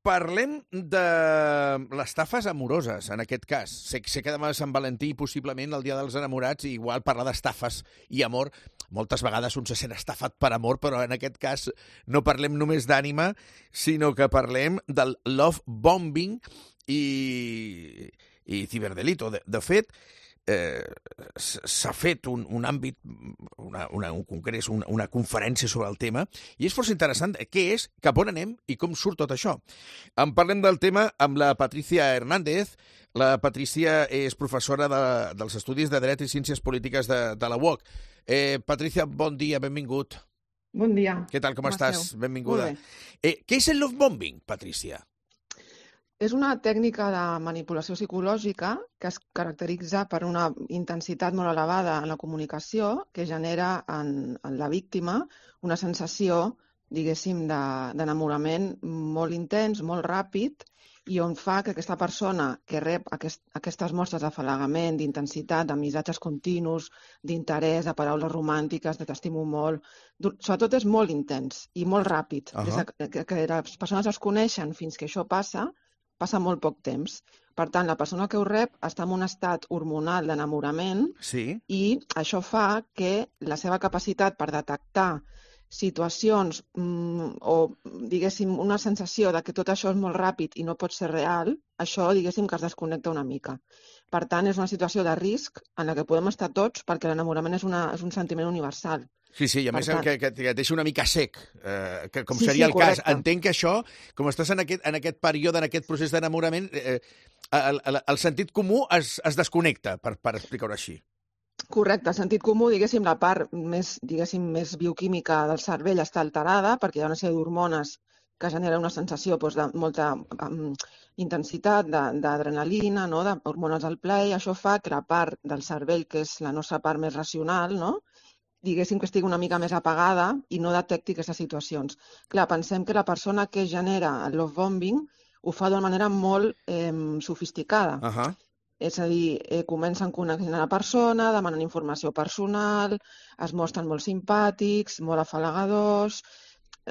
Parlem de les estafes amoroses, en aquest cas. Sé que demà és Sant Valentí, possiblement el dia dels enamorats, i igual parlar d'estafes i amor. Moltes vegades un se sent estafat per amor, però en aquest cas no parlem només d'ànima, sinó que parlem del love bombing i ciberdelito. De fet, s'ha fet un àmbit, un congrés, una conferència sobre el tema, i és força interessant què és, cap on anem i com surt tot això. En parlem del tema amb la Patricia Hernández. La Patricia és professora dels Estudis de Dret i Ciències Polítiques de la UOC. Patricia, bon dia, benvingut. Bon dia. Què tal, com estàs? Benvinguda. Què és el love bombing, Patricia? És una tècnica de manipulació psicològica que es caracteritza per una intensitat molt elevada en la comunicació que genera en la víctima una sensació, diguéssim, d'enamorament molt intens, molt ràpid, i on fa que aquesta persona que rep aquestes mostres d'afalagament, d'intensitat, de missatges continus, d'interès, de paraules romàntiques, de t'estimo molt, sobretot és molt intens i molt ràpid. Des que les persones es coneixen fins que això passa molt poc temps. Per tant, la persona que ho rep està en un estat hormonal d'enamorament i això fa que la seva capacitat per detectar situacions o, diguéssim, una sensació de que tot això és molt ràpid i no pot ser real, això, diguéssim, que es desconnecta una mica. Per tant, és una situació de risc en la que podem estar tots perquè l'enamorament és un sentiment universal. Sí, i a més que et deixa una mica sec, com seria el cas. Entenc que això, com estàs en aquest període, en aquest procés d'enamorament, el sentit comú es desconnecta, per explicar-ho així. Correcte, el sentit comú, diguéssim, la part més bioquímica del cervell està alterada perquè hi ha una sèrie d'hormones que genera una sensació de molta intensitat, d'adrenalina, d'hormones del plaer. Això fa que la part del cervell, que és la nostra part més racional, diguéssim que estigui una mica més apagada i no detecti aquestes situacions. Clar, pensem que la persona que genera el love bombing ho fa d'una manera molt sofisticada. És a dir, comencen coneixent a la persona, demanen informació personal, es mostren molt simpàtics, molt afalagadors.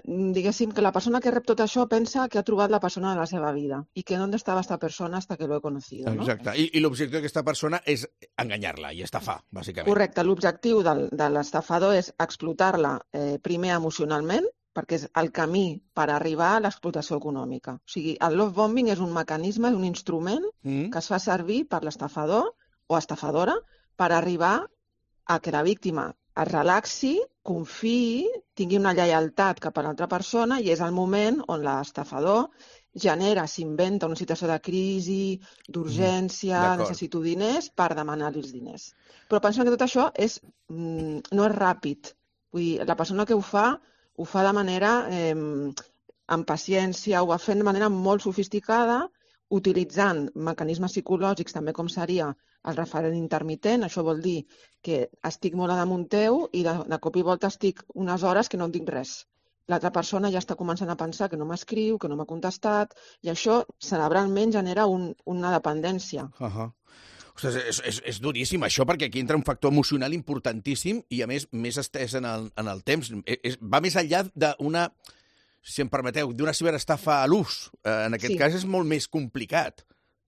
Diguéssim que la persona que rep tot això pensa que ha trobat la persona de la seva vida i que ¿dónde estava esta persona hasta que lo he conocido? Exacte. I l'objectiu d'aquesta persona és enganyar-la i estafar, bàsicament. Correcte. L'objectiu de l'estafador és explotar-la primer emocionalment, perquè és el camí per arribar a l'explotació econòmica. O sigui, el love bombing és un mecanisme, és un instrument que es fa servir per l'estafador o estafadora per arribar a que la víctima es relaxi, confiï, tingui una lleialtat cap a l'altra persona i és el moment on l'estafador s'inventa una situació de crisi, d'urgència, necessito diners, per demanar-li els diners. Però pensem que tot això no és ràpid. Vull dir, la persona que ho fa de manera amb paciència, ho va fent de manera molt sofisticada, utilitzant mecanismes psicològics, també com seria el referent intermitent. Això vol dir que estic molt a damunt teu i de cop i volta estic unes hores que no en dic res. L'altra persona ja està començant a pensar que no m'escriu, que no m'ha contestat, i això cerebralment genera una dependència. Ostres, és duríssim això, perquè aquí entra un factor emocional importantíssim i, a més estès en el temps. Va més enllà d'una, si em permeteu, d'una ciberestafa a l'ús. En aquest cas és molt més complicat.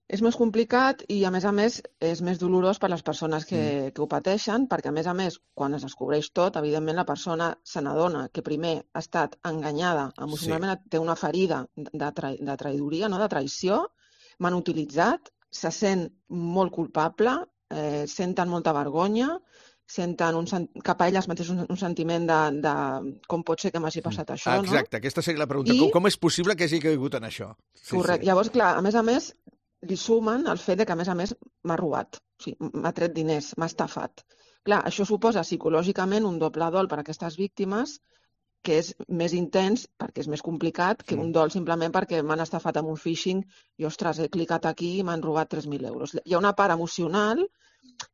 És més complicat i, a més, és més dolorós per les persones que ho pateixen, perquè, a més, quan es descobreix tot, evidentment la persona se n'adona que primer ha estat enganyada emocionalment, té una ferida de traïdoria, de traïció, m'han utilitzat, se sent molt culpable, senten molta vergonya, senten cap a elles mateixes un sentiment de com pot ser que m'hagi passat això. Exacte, aquesta seria la pregunta. Com és possible que hagi caigut en això? Correcte. Llavors, clar, a més, li sumen el fet que, a més, m'ha robat, o sigui, m'ha tret diners, m'ha estafat. Clar, això suposa psicològicament un doble dol per a aquestes víctimes, que és més intens perquè és més complicat que un dol simplement perquè m'han estafat amb un phishing i, ostres, he clicat aquí i m'han robat 3.000 euros. Hi ha una part emocional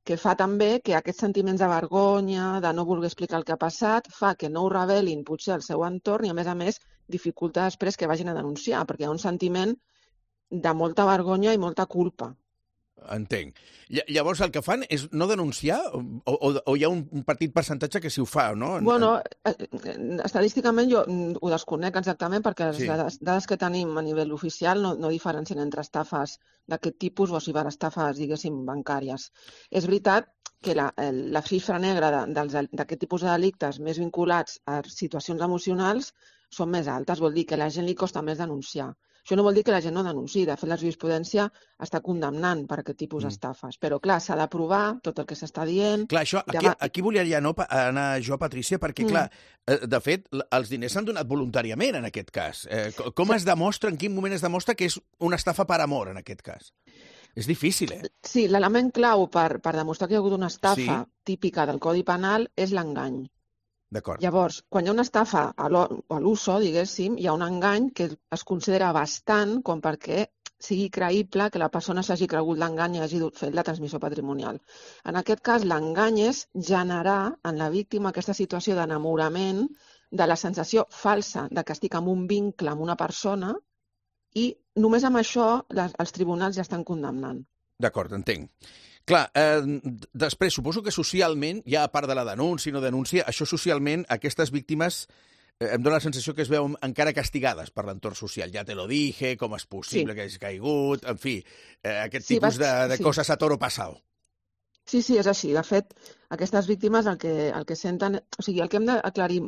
que fa també que aquests sentiments de vergonya, de no voler explicar el que ha passat, fa que no ho revelin potser al seu entorn i, a més, dificulta després que vagin a denunciar, perquè hi ha un sentiment de molta vergonya i molta culpa. Entenc. Llavors el que fan és no denunciar o hi ha un petit percentatge que sí ho fa, no? Bueno, estadísticament jo ho desconec exactament perquè les dades que tenim a nivell oficial no diferencien entre estafes d'aquest tipus o ciberestafes, diguéssim, bancàries. És veritat que la xifra negra d'aquest tipus de delictes més vinculats a situacions emocionals són més altes, vol dir que a la gent li costa més denunciar. Això no vol dir que la gent no denunciï. De fet, la jurisprudència està condemnant per aquest tipus d'estafes. Però, clar, s'ha de provar tot el que s'està dient. Clar, això, aquí volia anar jo, Patrícia, perquè, clar, de fet, els diners s'han donat voluntàriament en aquest cas. Com es demostra, en quin moment es demostra que és una estafa per amor, en aquest cas? És difícil, eh? Sí, l'element clau per demostrar que hi ha hagut una estafa típica del Codi Penal és l'engany. Llavors, quan hi ha una estafa a l'uso, diguéssim, hi ha un engany que es considera bastant com perquè sigui creïble que la persona s'hagi cregut l'engany i hagi fet la transmissió patrimonial. En aquest cas, l'engany és generar en la víctima aquesta situació d'enamorament, de la sensació falsa de que estic en un vincle amb una persona i només amb això els tribunals ja estan condemnant. D'acord, entenc. Clar, després, suposo que socialment, ja a part de la denúncia i no denúncia, això socialment, aquestes víctimes em dóna la sensació que es veuen encara castigades per l'entorn social. Ja te lo dije, com és possible que hagi caigut, en fi, aquest tipus de coses a toro pasado. Sí, és així. De fet, aquestes víctimes el que senten... O sigui, el que hem d'aclarir,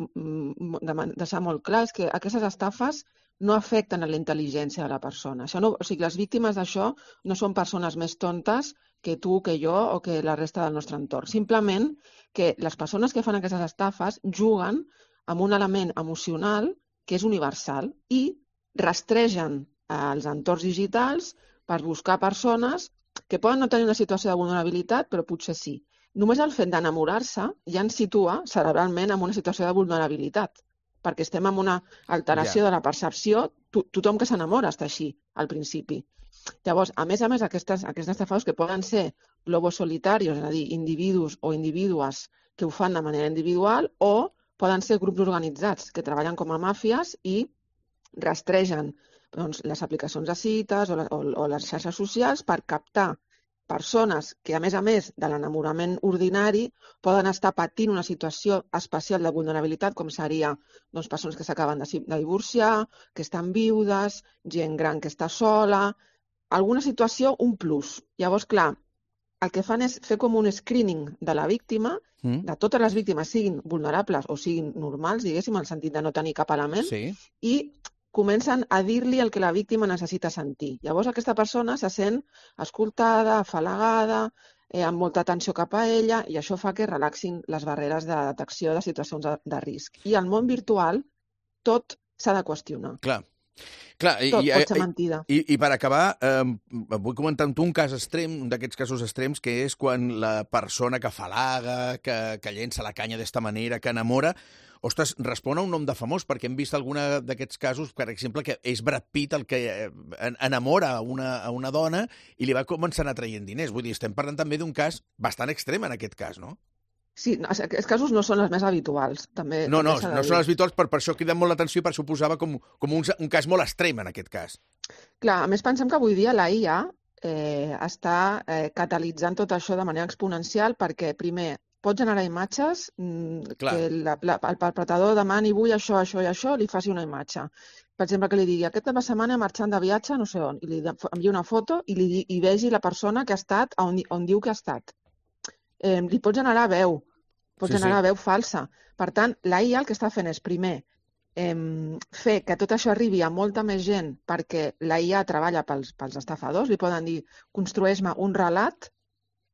deixar molt clar, és que aquestes estafes no afecten a la intel·ligència de la persona. O sigui, les víctimes d'això no són persones més tontes que tu, que jo o que la resta del nostre entorn. Simplement que les persones que fan aquestes estafes juguen amb un element emocional que és universal i rastregen els entorns digitals per buscar persones que poden no tenir una situació de vulnerabilitat, però potser sí. Només el fet d'enamorar-se ja ens situa cerebralment en una situació de vulnerabilitat, perquè estem en una alteració de la percepció. Tothom que s'enamora està així, al principi. Llavors, a més, aquests estafadors que poden ser lobos solitarios, és a dir, individus o individues que ho fan de manera individual, o poden ser grups organitzats que treballen com a màfies i rastregen les aplicacions de cites o les xarxes socials per captar persones que, a més de l'enamorament ordinari, poden estar patint una situació especial de vulnerabilitat, com seria persones que s'acaben de divorciar, que estan viudes, gent gran que està sola, alguna situació, un plus. Llavors, clar, el que fan és fer com un screening de la víctima, de totes les víctimes, siguin vulnerables o siguin normals, diguéssim, en el sentit de no tenir cap element, i comencen a dir-li el que la víctima necessita sentir. Llavors aquesta persona se sent escoltada, afalagada, amb molta atenció cap a ella, i això fa que relaxin les barreres de detecció de situacions de risc. I al món virtual tot s'ha de qüestionar. Clar, tot pot ser mentida. I per acabar, vull comentar amb tu un cas extrem, un d'aquests casos extrems, que és quan la persona que afalaga, que llença la canya d'esta manera, que enamora, ostres, respon a un nom de famós, perquè hem vist alguna d'aquests casos, per exemple, que és Brad Pitt el que enamora a una dona i li va començar a traient diners. Vull dir, estem parlant també d'un cas bastant extrem en aquest cas, no? Sí, aquests casos no són els més habituals. No són els habituals, per això criden molt l'atenció i per això ho posava com un cas molt extrem en aquest cas. Clar, a més pensem que avui dia la IA està catalitzant tot això de manera exponencial perquè, primer, pot generar imatges que el perpetrador demani vull això, això i això, li faci una imatge. Per exemple, que li digui aquesta setmana marxant de viatge no sé on, i li envia una foto i vegi la persona que ha estat on diu que ha estat. Li pot generar veu, generar veu falsa. Per tant, la IA el que està fent és, primer, fer que tot això arribi a molta més gent perquè la IA treballa pels estafadors. Li poden dir, construeix-me un relat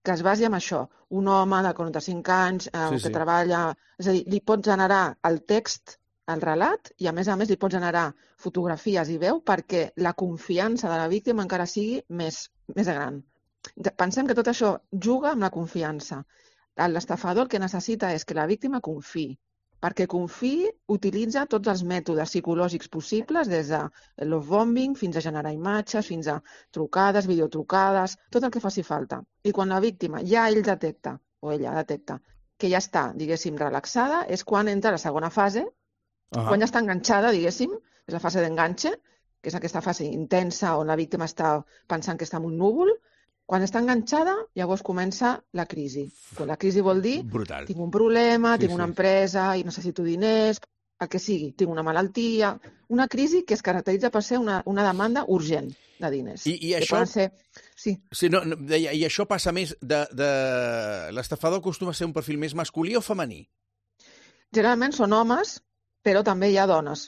que es basi en això. Un home de 45 anys que treballa... És a dir, li pot generar el text, el relat, i a més li pot generar fotografies i veu perquè la confiança de la víctima encara sigui més gran. Pensem que tot això juga amb la confiança. L'estafador el que necessita és que la víctima confiï. Perquè confiï, utilitza tots els mètodes psicològics possibles, des de love-bombing fins a generar imatges, fins a trucades, videotrucades, tot el que faci falta. I quan la víctima ja ell detecta, o ella detecta, que ja està, diguéssim, relaxada, és quan entra la segona fase, quan ja està enganxada, diguéssim, és la fase d'enganxe, que és aquesta fase intensa on la víctima està pensant que està en un núvol, Quan està enganxada, llavors comença la crisi. Però la crisi vol dir, Brutal. tinc un problema, Sí, tinc una empresa i necessito diners, el que sigui, tinc una malaltia... Una crisi que es caracteritza per ser una demanda urgent de diners. I que això... poden ser... Sí. Sí, deia, i això passa més l'estafador acostuma a ser un perfil més masculí o femení? Generalment són homes, però també hi ha dones.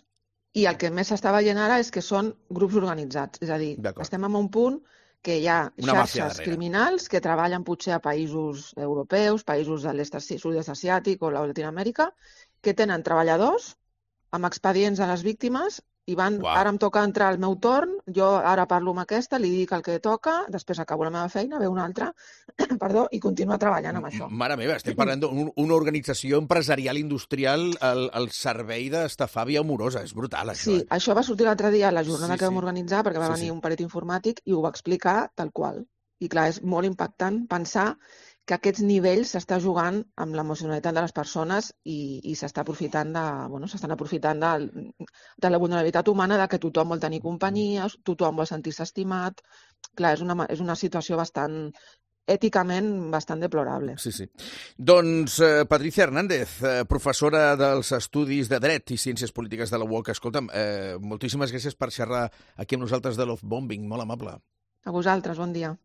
I el que més s'està veient ara és que són grups organitzats. És a dir, estem en un punt que hi ha xarxes criminals que treballen potser a països europeus, països de sud-est asiàtic o la Llatinoamèrica, que tenen treballadors amb expedients a les víctimes i van, ara em toca entrar al meu torn, jo ara parlo amb aquesta, li dic el que toca, després acabo la meva feina, ve una altra, perdó, i continua treballant amb això. Mare meva, estem parlant d'una organització empresarial industrial al servei d'estafar via amorosa. És brutal, això. Sí, això va sortir l'altre dia a la jornada que vam organitzar, perquè va venir un perit informàtic i ho va explicar tal qual. I clar, és molt impactant pensar que aquests nivells s'està jugant amb l'emocionalitat de les persones i s'estan aprofitant de la vulnerabilitat humana, de que tothom vol tenir companyia, tothom vol sentir-se estimat. Clar, és una situació èticament bastant deplorable. Sí, sí. Doncs Patricia Hernández, professora dels Estudis de Dret i Ciències Polítiques de la UOC. Escolta'm, moltíssimes gràcies per xerrar aquí amb nosaltres de Love Bombing. Molt amable. A vosaltres, bon dia.